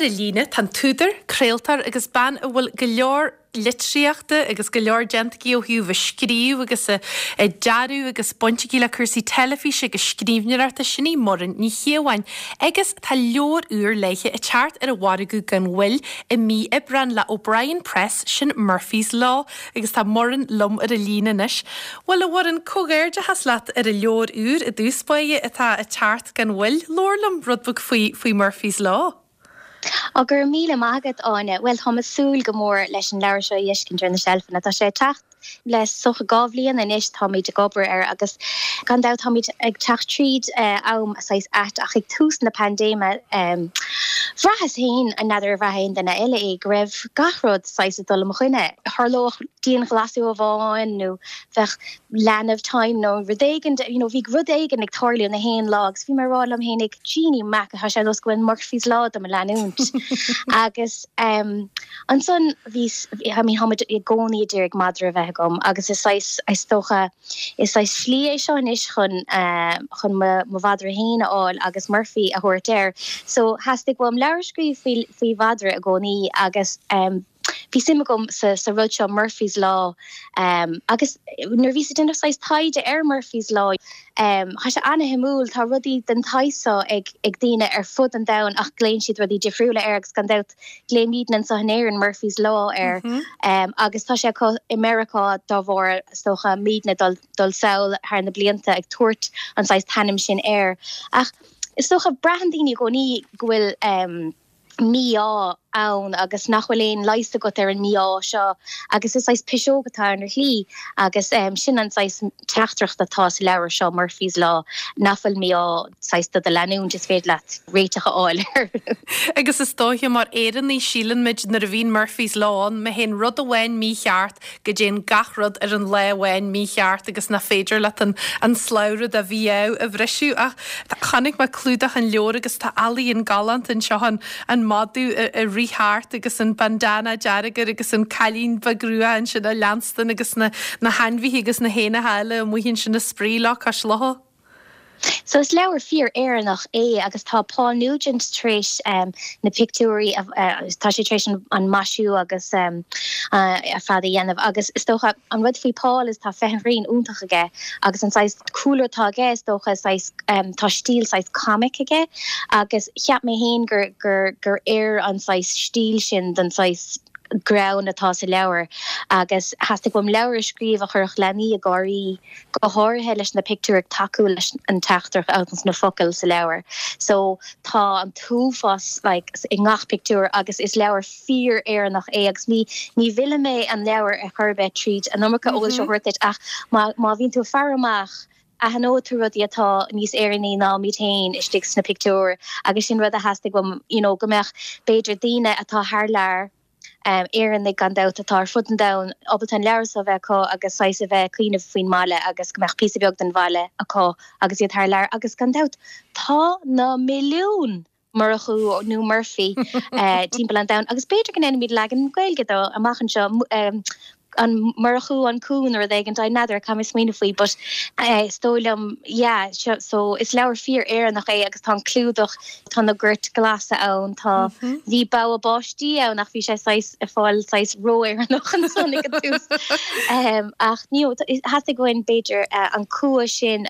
Ar an líne tá an t-údar, craoltóir agus bean a bhfuil go leor litríochta agus go leor déanta aici ó thaobh a scríobh agus a dearadh agus baint aici le cúrsaí teilifíse agus scríbhneoireachta, sin í Muireann Ní Chíobháin. Agus tá leabhar úr léithe ag teacht ar an mhargadh gan mhoill i mí Aibreáin le O'Brien Press, sin Murphy's Law. Agus tá Muireann liom ar an líne anois. Bhuel, a Mhuireann, comhghairdeachas leat ar an leabhar úr i dtús báire atá ag teacht gan mhoill. Labhair liom rud beag faoi, faoi Murphy's Law. Á, go raibh míle maith agat, Áine. Bhuel, táim ag súil go mór leis an leabhar seo a fheiscint ar na seilfeanna. Tá sé ag teacht le is dócha 2 bhliain anois, táimid ag obair air agus gan dabht táimid ag teacht tríd am saghas ait ach ag tús na paindéime, bhraitheas féin, n'fheadar ar bhraith aon duine eile é, go raibh gach rud saghas ag dul i mo choinne. Tharlódh dianghlasáil amháin nó bheadh leanbh tinn nó rud éigin, you know, bhí rud éigin ag tarlú na haon lá agus bhí mé ag rá liom fhéinig, Jeannie Mac, tá sé ar nós go bhfuil Murphy's Law do mo leanúint. Agus um, ansan bhí, I mean, táimid i gcónaí ag iarraidh madra a bheith agam agus is saghas, is dócha, is saghas slí é seo anois chun, uh, chun mo, mo mhadra féin a fháil agus Murphy a thabhairt air. So theastaigh uaim leabhar a scríobh faoi, faoi mhadra i gcónaí agus um, Bhí suim agam sa rud seo, Murphy's Law, agus nuair a bhíos ag déanamh saghas taighde ar Murphy's Law, tá sé ana-shuimiúil, tá rudaí den tsaghas seo ag daoine ar fud an domhain ach glaonn siad rudaí difriúla air agus gan dabht glaoimidne anseo in Éirinn Murphy's Law air agus tá sé acu i Meiriceá dá bharr, is dócha, muidne dul dul sall thar na blianta ag tabhairt an saghas t-ainm sin air. Ach is dócha, braitheann daoine i gcónaí go bhfuil. mí-ádh ann agus nach bhfuil aon leigheas agat ar an mí-ádh seo agus is saghas piseog atá ann ar shlí agus sin an saghas teachtaireacht atá sa leabhar seo, Murphy's Law, nach bhfuil mí-ádh saghas do do leanúint, is féidir leat réiteach a fháil air. Agus is dóiche mar Éireannaigh síleann muid nuair a bhíonn Murphy's Law ann, má théann rud amháin mícheart, go dtéann gach rud ar an lá amháin mícheart agus nach féidir leat an an slabhra de mhí-ádh a bhriseadh. Ach chonaic mé clúdach an leabhair agus tá ealaíon galánta anseo, an an madadh ag rith thart agus an bandana dearg air agus an cailín beag rua ansin á leanstan agus na na hainmhithe agus na héanacha eile amuigh ansin ag spraoi leo cois locha. So is leabhar fíor-Éireannach é agus tá Paul Nugent tar éis na pictiúirí, tá sé tar éis an maisiú agus ar fad a dhéanamh agus is dócha an rud faoi Paul is tá féith an ghrinn iontach aige agus an saghas cúlra atá aige is dócha saghas tá stíl saghas comic aige agus cheap mé féin gur gur gur oir an saghas stíl sin don saghas greann atá sa leabhar agus theastaigh uaim leabhar a scríobh a chuirfeadh leanaí ag gáirí go háirithe leis na pictiúir ag tacú leis an teachtaireacht agus na focail sa leabhar. So tá an t-uafás like i ngach pictiúr agus is leabhar fíor-Éireannach é agus ní ní mhillfidh mé an leabhar ar chor ar bith tríd an iomarca eolais a thabhairt duit ach má má bhíonn tú ag faire amach aithneoidh tú rudaí atá níos Éireannaí ná muid féin istigh sna pictiúir agus sin rud a theastaigh uaim you know go mbeadh b'fhéidir daoine atá thar lear Éireannaigh gan dabht atá ar fud an domhain, ábalta an leabhar seo a bheith acu agus saghas a bheith ag cuimhneamh faoin mbaile agus go mbeadh píosa beag den bhaile acu agus iad thar lear agus gan dabht tá na milliúin Murchú nó Murphy timpeall an domhain agus b'fhéidir go ndéanfaimid leagan Gaeilge dó amach anseo. an Murchú an Cú nó rud éigin, n'fheadar, caithfidh mé smaoineamh faoi but is dóigh liom yeah so is leabhar fíor Éireannach é agus tá an clúdach, tá na goirt glasa ann, tá, bhí bogha báistí ann ach bhí sé saghas ag fáil saghas ró-Éireannach ansan ag an tús. Ach you know theastaigh uainn b'fhéidir an cumha sin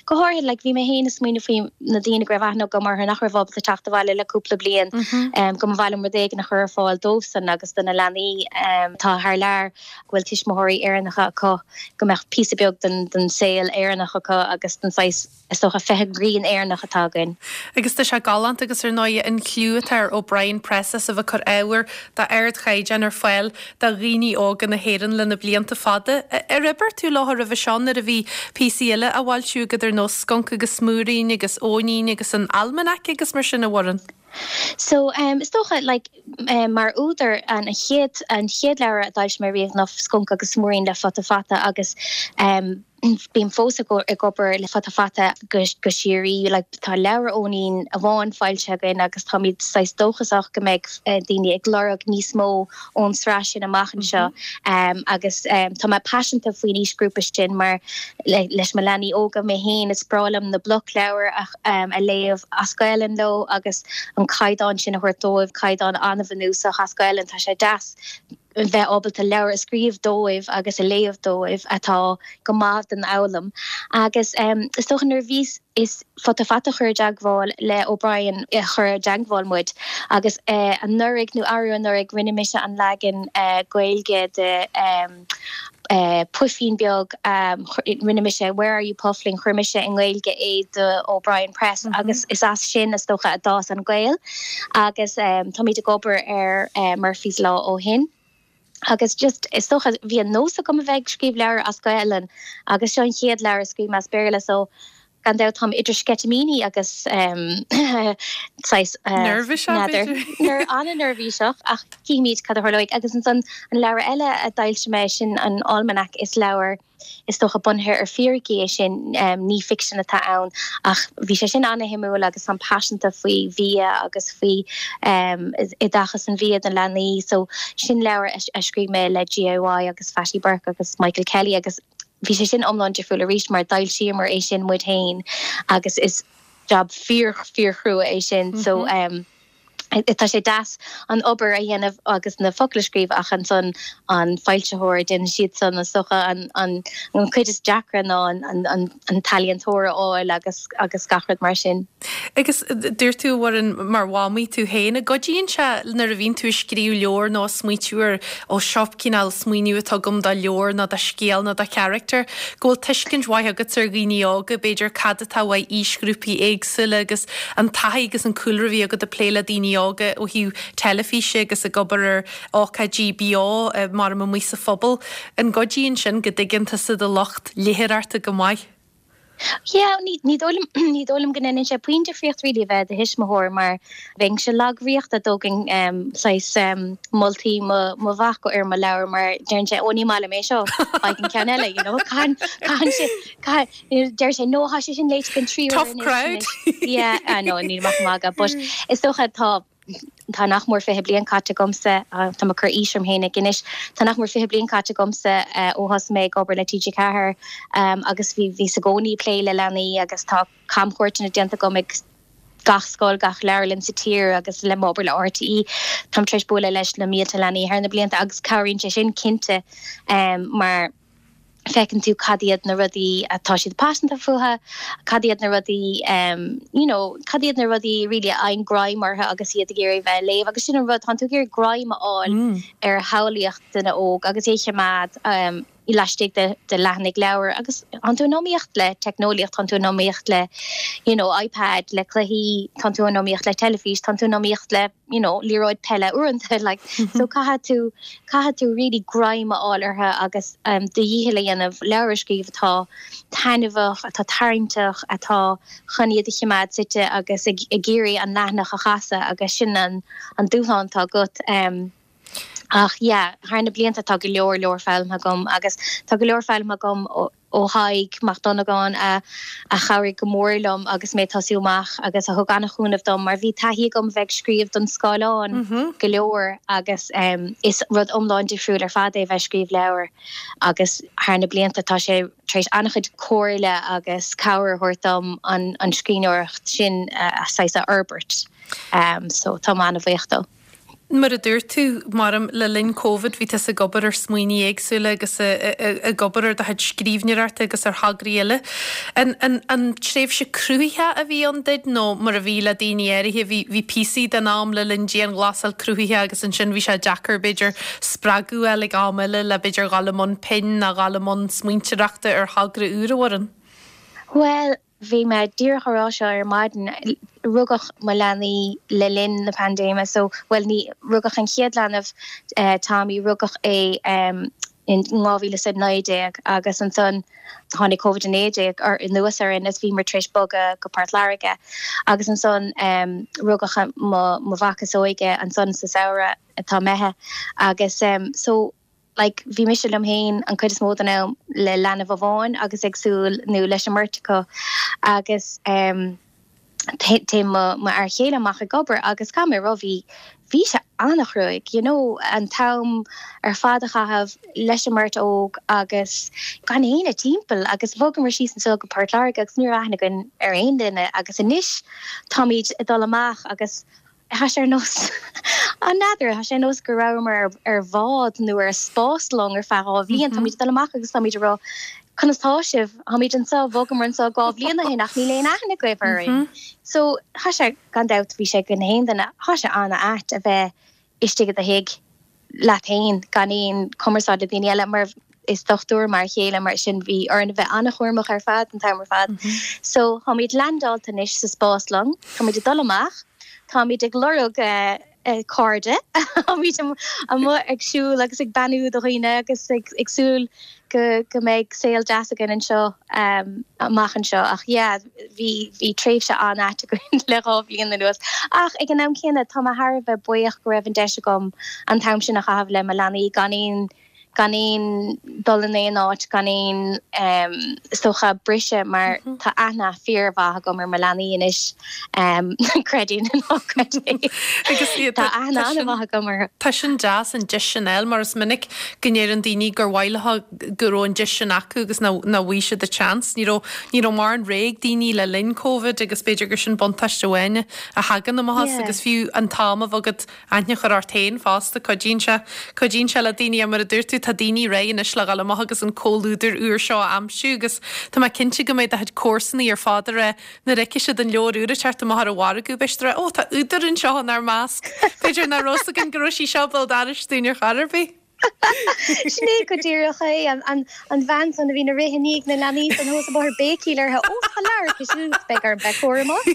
go háirithe like bhí mé féin ag smaoineamh faoi na daoine go raibh aithne agam orthu nach raibh ábalta teacht abhaile le cúpla bliain go mba mhaith liom rud éigin a chur ar fáil dóibhsan agus do na leanaí atá thar lear go bhfuil tuismitheoirí Éireannacha acu go mbeadh píosa beag den saol Éireannach acu agus den saghas is dócha féith an ghrinn Éireannach atá againn. Agus tá sé galánta agus ar ndóigh an cliú atá ar O'Brien Press as a bheith ag cur ábhar d'ardchaighdeán ar fáil do dhaoine óga na hÉireann le na blianta fada. Ar oibir tú leo roimhe seo nuair a bhí píosaí eile á bhfoilsiú agat ar nós Sconc agus Smúirín agus Eoinín agus an Almanac agus mar sin, a Mhuireann? So, is dócha, like, mar údar, an chéad, an chéad leabhar a d'fhoilsigh mé riamh ná Sconc agus Smúirín le Futa Fata agus. Bím fós ag obair le Futa Fata go síoraí, like tá leabhar Eoinín amháin foilsithe againn agus táimid saghas dóchasach go mbeidh daoine ag lorg níos mó ón sraith sin amach anseo agus tá mé paiseanta faoin aoisghrúpa sin mar leis mo leanaí óga mé féin is breá liom na blocleabhair a léamh as Gaelainn leo agus an caighdeán sin a thabhairt dóibh, caighdeán an-bhunúsach as Gaelainn, tá sé deas. bheith ábalta leabhar a scríobh dóibh agus a léamh dóibh atá go maith don fhoghlaim. Agus is dócha nuair a bhíos, is Futa Fata a chuir i dteagmháil le O'Brien a chuir i dteagmháil muid agus anuraidh nó arú anuraidh rinne mise an leagan Gaeilge de Puifín Beag, rinne mise Where Are You Puffling, chuir mise i nGaeilge é do O'Brien Press agus is as sin is dócha a d'fhás an gaol agus táimid ag obair ar Murphy's Law ó shin. Agus just is dócha bhí an nós agam a bheith ag scríobh leabhar as Gaelainn agus seo an chéad leabhar a scríobh mé as Béarla so Gan dabht táim idir sceitimíní agus saghas Neirbhíseach, b'fhéidir? An-neirbhíseach ach cífimid cad a tharlóidh. Agus ansan an leabhar eile a d'fhoilsigh mé, sin an Almanac, is leabhar is dócha bunaithe ar fíricí é sin, ní ficsean atá ann ach bhí sé sin an-shuimiúil agus táim paiseanta faoi bhia agus faoi oideachas an bhia do leanaí so sin leabhar a scríobh mé le GIY agus Fatty Burke agus Michael Kelly agus Bhí sé sin iomlán difriúil arís mar d'fhoilsíomar é sin muid féin agus is jab fíor fíorchrua é sin so tá sé deas an obair a dhéanamh agus na focail a scríobh ach ansan an foilsitheoir, déanann siadsan is dócha an an cuid is deacra ná an an an t-ealaíontóir a fháil agus agus gach rud mar sin. Agus dúirt tú, a Mhuireann, mar mhamaí tú féin, an gcuidíonn sé nuair a bhíonn tú ag scríobh leabhar nó ag smaoitiú ar, ó seo cineál smaoineamh atá agam do leabhar nó do scéal nó do charachtar, go bhfuil tuiscint mhaith agat ar dhaoine óga, b'fhéidir, cad atá uaidh aoisghrúpaí éagsúla agus an taithí agus an cúlra a bhí agat ag plé le daoine óga ó thaobh teilifíse agus ag obair ar ócáidí beo mar amuigh sa phobal. An gcuidíonn sin go dtuigeann tusa do lucht léitheoireachta go maith? Yeah, ní, ní dóigh liom, ní dóigh liom go ndéanann sé puinn difríocht really a bheith i do thuismitheoir mar bheinnse lagbhríoch dá dtógainn em saghas em moltaí mo, mo mhac ar mo leabhar mar deireann sé, ó ní maith liom é seo, faigh an ceann eile, you know, caitheann, caitheann sé, caitheann, deir sé, no, tá sé sin léite den tríú uair anois, Tough crowd. Yeah, I know, nílim ach ag magadh, but is dócha tá, Tá nach mór 20 bliain caite agamsa, tá mé ag cur aois orm fhéinig anois, tá nach mór 20 bliain caite agamsa ó thosaigh mé ag obair le TG4 agus bhí, bhíos i gcónaí ag plé le leanaí agus tá camchuairteanna déanta agam ag gach scoil, gach leabharlann sa tír agus le m'obair le RTÉ, táim tar éis bualadh leis na mílte leanaí thar na blianta agus cabhraíonn sé sin cinnte mar. feiceann tú cad iad na rudaí atá siad paiseanta fúthu, cad iad na rudaí you know, cad iad na rudaí really a fhaigheann greim orthu agus iad ag iarraidh bheith ag léamh agus sin an rud, tánn tú ag iarraidh greim a fháil ar shamhlaíocht duine óg agus é a choimeád laistigh de de leathanaigh leabhair agus tánn tú in iomaíocht le teicneolaíocht, tánn tú in iomaíocht le you know, iPad, le cluichí, tánn tú in iomaíocht le teilifís, tánn tú in iomaíocht le you know, liathróid peile uaireanta, like, so caithfidh tú, caithfidh tú really greim a fháil orthu agus um, do dhícheall a dhéanamh leabhar a scríobh atá taitneamhach, atá tarraingteach, atá chun iad a choimeád suite agus ag, ag iarraidh an leathanach a chasadh agus sin an, an dúshlán atá agat. Um, ach yeah, thar na blianta tá go leor leor foghlamtha agam agus tá go leor foghlamtha agam ó, ó Thadhg Mac Dhonnagáin a a chabhraigh go mór liom agus mé ag tosú amach agus a thug an-chúnamh dom mar bhí taithí agam a bheith ag scríobh don scáileán go leor agus is rud iomlán difriúil ar fad é a bheith ag scríobh leabhar agus thar na blianta tá sé tar éis an-chuid comhairle agus cabhair a thabhairt dom an an scríbhneoireacht sin a saghas a fhorbairt so táim an-bhuíoch dó. Mar a dúirt tú, maram, le linn Covid bhí tusa ag obair ar smaoiní éagsúla agus ag obair ar do chuid scríbhneoireachta agus ar thograí eile. An, an, an tréimhse cruthaitheach a bhí ann duit nó mar a bhí le daoine áirithe, bhí, bhí píosaí den am le linn dianghlasáil cruthaitheach agus ansin bhí sé deacair b'fhéidir spreagadh a fháil ag am eile le b'fhéidir dhul i mbun pinn nó dhul i mbun smaointeoireachta ar thogra úr, a Mhuireann? Bhuel, Bhí mé díreach á rá seo ar maidin, rugadh mo leanaí le linn na paindéime so, bhuel ní, rugadh an chéad leanbh, Tommy, rugadh é in 2019 agus ansan tháinig Covid-19 anuas orainn is bhíomar tar éis bogadh go Port Láirge agus ansan rugadh mo mhac is óige ansan sa samhradh atá imithe agus so. Like, bhí mise liom féin an chuid is mó den am le leanbh amháin agus ag súil, nó leis an mbeirt acu agus em téann mo mo fhear chéile amach ag obair agus caithfidh mé a rá bhí bhí sé an-chruaidh, you know, an t-am ar fad a chaitheamh leis an mbeirt óg agus gan éinne timpeall agus bhogamar síos anseo go Port Láirge agus ní raibh aithne againn ar aon duine agus anois táimid ag dul amach agus Tá sé ar nós, n'fheadar, tá sé ar nós go rabhamar ar bhád nó ar spáslong ar feadh 2 bhliain. Táimid ag dul amach agus táimid ag rá, conas tá sibh? Táimid anseo, bhogamar anseo 2 bhliain ó shin ach níl aon aithne agaibh orainn. So, tá sé, gan dabht, bhí sé go na haon duine, tá sé an-ait a bheith istigh i do thigh. leat féin, gan aon chumarsáid le daoine eile, mar is dochtúir m'fhear chéile, mar sin bhí orainn a bheith an-chúramach ar fad an t-am ar fad. So, táimid leaindeáilte anois sa spáslong, táimid ag dul amach, táimid ag lorg cairde, táimid amuigh ag siúl agus ag beannú do dhaoine agus ag súil go go mbeidh saol deas againn anseo amach anseo. Ach yeah, bhí bhí tréimhse an-ait againn le 2 bhliain anuas. Ach ag an am céanna, tá mé thar a bheith buíoch go raibh an deis agam an t-am sin a chaitheamh le mo leanaí gan aon gan aon dul in aon áit, gan aon is dócha briseadh mar tá aithne fíormhaith agam ar mo leanaí anois, creid é nó ná creid é. Agus Tá aithne an-mhaith agam orthu. Tá sin deas an deis sin a fháil mar is minic go ndeireann daoine gur mhaith leo go raibh an deis sin acu agus nach bhfuair siad an seans. Ní raibh ní raibh mórán rogha ag daoine le linn Covid agus b'fhéidir gur sin buntáiste amháin a thagann amach as agus fiú an t-am a bheith agat aithne a chur ort féin fosta, cuidíonn sé cuidíonn sé le daoine mar a dúirt tú tá daoine réidh anois le dhul amach agus an comhluadar úr seo a aimsiú agus tá mé cinnte go mbeidh do chuid comharsanaí ar fad ag rá Nuair a fheicfidh siad an leabhar úr ag teacht amach ar an mhargadh, beidh siad ag rá, 'Ó, tá údar anseo inár measc. B'fhéidir nach raibh 'fhios againn go raibh sí seo béal dorais dúinn ar chor ar bith. Sin é go díreach é. An bhean san a bhíonn ag rith i ndiaidh na leanaí san thuas an bóthar béicíl uirthi, 'Ó, tá leabhar aici siúd, beidh orm bheith cúramach.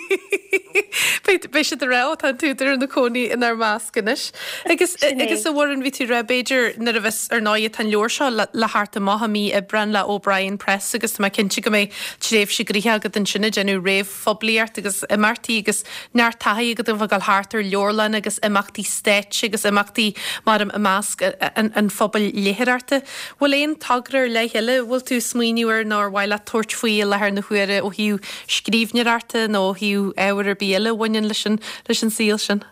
Beidh siad ag rá, 'Ó, tá an t-údar ina cónaí inár measc anois. Agus, agus a Mhuireann, bhí tú ag rá, b'fhéidir, nuair a bheas, ar ndóigh, tá an leabhar seo le theacht amach i mí Aibreáin le O'Brien Press agus tá mé cinnte go mbeidh tréimhse gnoitheach agat ansin ag déanamh réamhphoiblíocht agus imeachtaí agus neart taithí agat a bheith ag dul thart ar leabharlanna agus imeachtaí stáit agus imeachtaí mar i measc an phobail léitheoireachta. Bhfuil aon togra ar leith eile a bhfuil tú ag smaoineamh air nó ar mhaith leat tabhairt faoi i láthair na huaire ó thaobh scríbhneoireachta nó ó thaobh ábhar ar bith eile a bhaineann leis an leis an saol sin?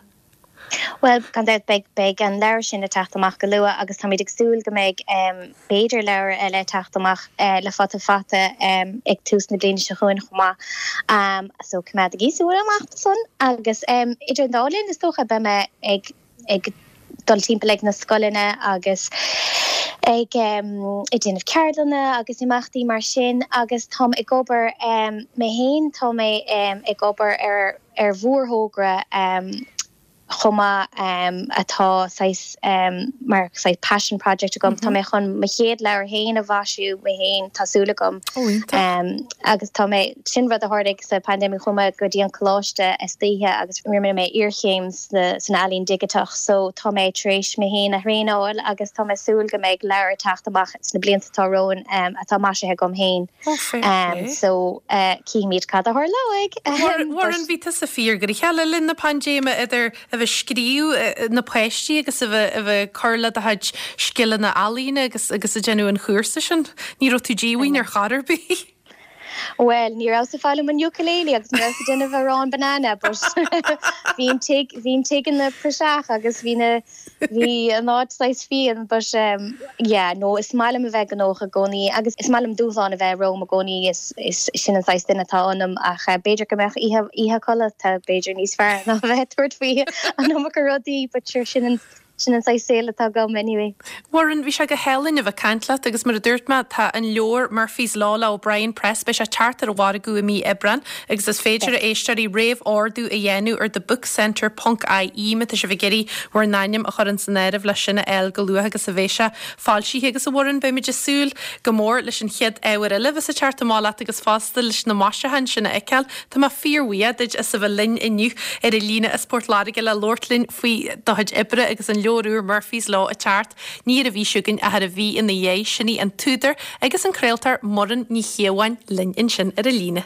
Bhuel, gan dabht, beidh, beidh an leabhar sin ag teacht amach go luath agus táimid ag súil go mbeidh, b'fhéidir, leabhar eile ag teacht amach le Futa Fata ag tús na bliana seo chugainn chomh maith. So, coimeádaigí súil amach do san. Agus idir an dá linn, is dócha, beidh mé ag, ag dul timpeall ag na scoileanna agus ag, ag déanamh ceardlanna agus imeachtaí mar sin agus táim ag obair, mé féin, tá mé ag obair ar, ar mhórthógra chomh maith atá saghas mar saghas passion project agam. Tá mé chun mo chéad leabhar féin a mhaisiú mé féin, tá súil agam. Ó, iontach. Agus tá mé, sin rud a tharlaigh sa pandemic, chuaigh mé go dtí an coláiste istoíche agus rinne mé iarchéim san ealaín dhigiteach so tá mé tar éis mé féin a thraenáil agus tá mé ag súil go mbeidh leabhar ag teacht amach sna blianta atá romhainn atá maisithe agam féin. Ó, fair play. So, cífimid cad a tharlóidh. Mhuireann, bhí tusa fíorghnoitheach le linn na paindéime, idir a bheith ag scríobh na páistí agus a bheith a bheith ag cur le do chuid scileanna ealaíne agus agus ag déanamh an chúrsa sin. Ní raibh tú díomhaoin ar chor ar bith. Bhuel, ní rabhas ag foghlaim an ukulele agus ní rabhas ag déanamh arán banana, but bhí an tigh, bhí an tigh ina praiseach agus bhí na, Bhí an áit saghas fiáin but yeah no is maith liom a bheith gnóthach i gcónaí agus is maith liom dúshlán a bheith romham i gcónaí is is sin an saghas duine atá ionam ach b'fhéidir go mbeadh oíche oíche codlata b'fhéidir níos fearr ná a bheith ag tabhairt faoi an iomarca rudaí but sure sin an sin an saghas saol atá agam anyway. Mhuireann, bhí sé go hálainn a bheith ag caint leat agus mar a dúirt mé tá an leabhar Murphy's Law le O'Brien Press, beidh sé ag teacht ar an mhargadh i mí Aibreán agus is féidir a éisteoirí réamh-ordú a dhéanamh ar The Book Centre ponc IE má tá sibh ag iarraidh bhur n-ainm a chur ins an áireamh leis sin a fháil go luath agus a bheidh sé foilsithe agus a Mhuireann beimid ag súil go mór leis an chéad ábhar eile a bheas ag teacht amach leat agus fosta leis na maisiúcháin sin a fheiceáil. Tá mé fíorbhuíoch duit as a bheith linn inniu ar an líne as Port Láirge le labhairt linn faoi do chuid oibre agus an leabhar úr Murphy's Law ag teacht ní ar an mhí seo chugainn ach ar an mhí ina dhiaidh. Sin í an t-údar agus an craoltóir Muireann Ní Chíobháin linn ansin ar an líne.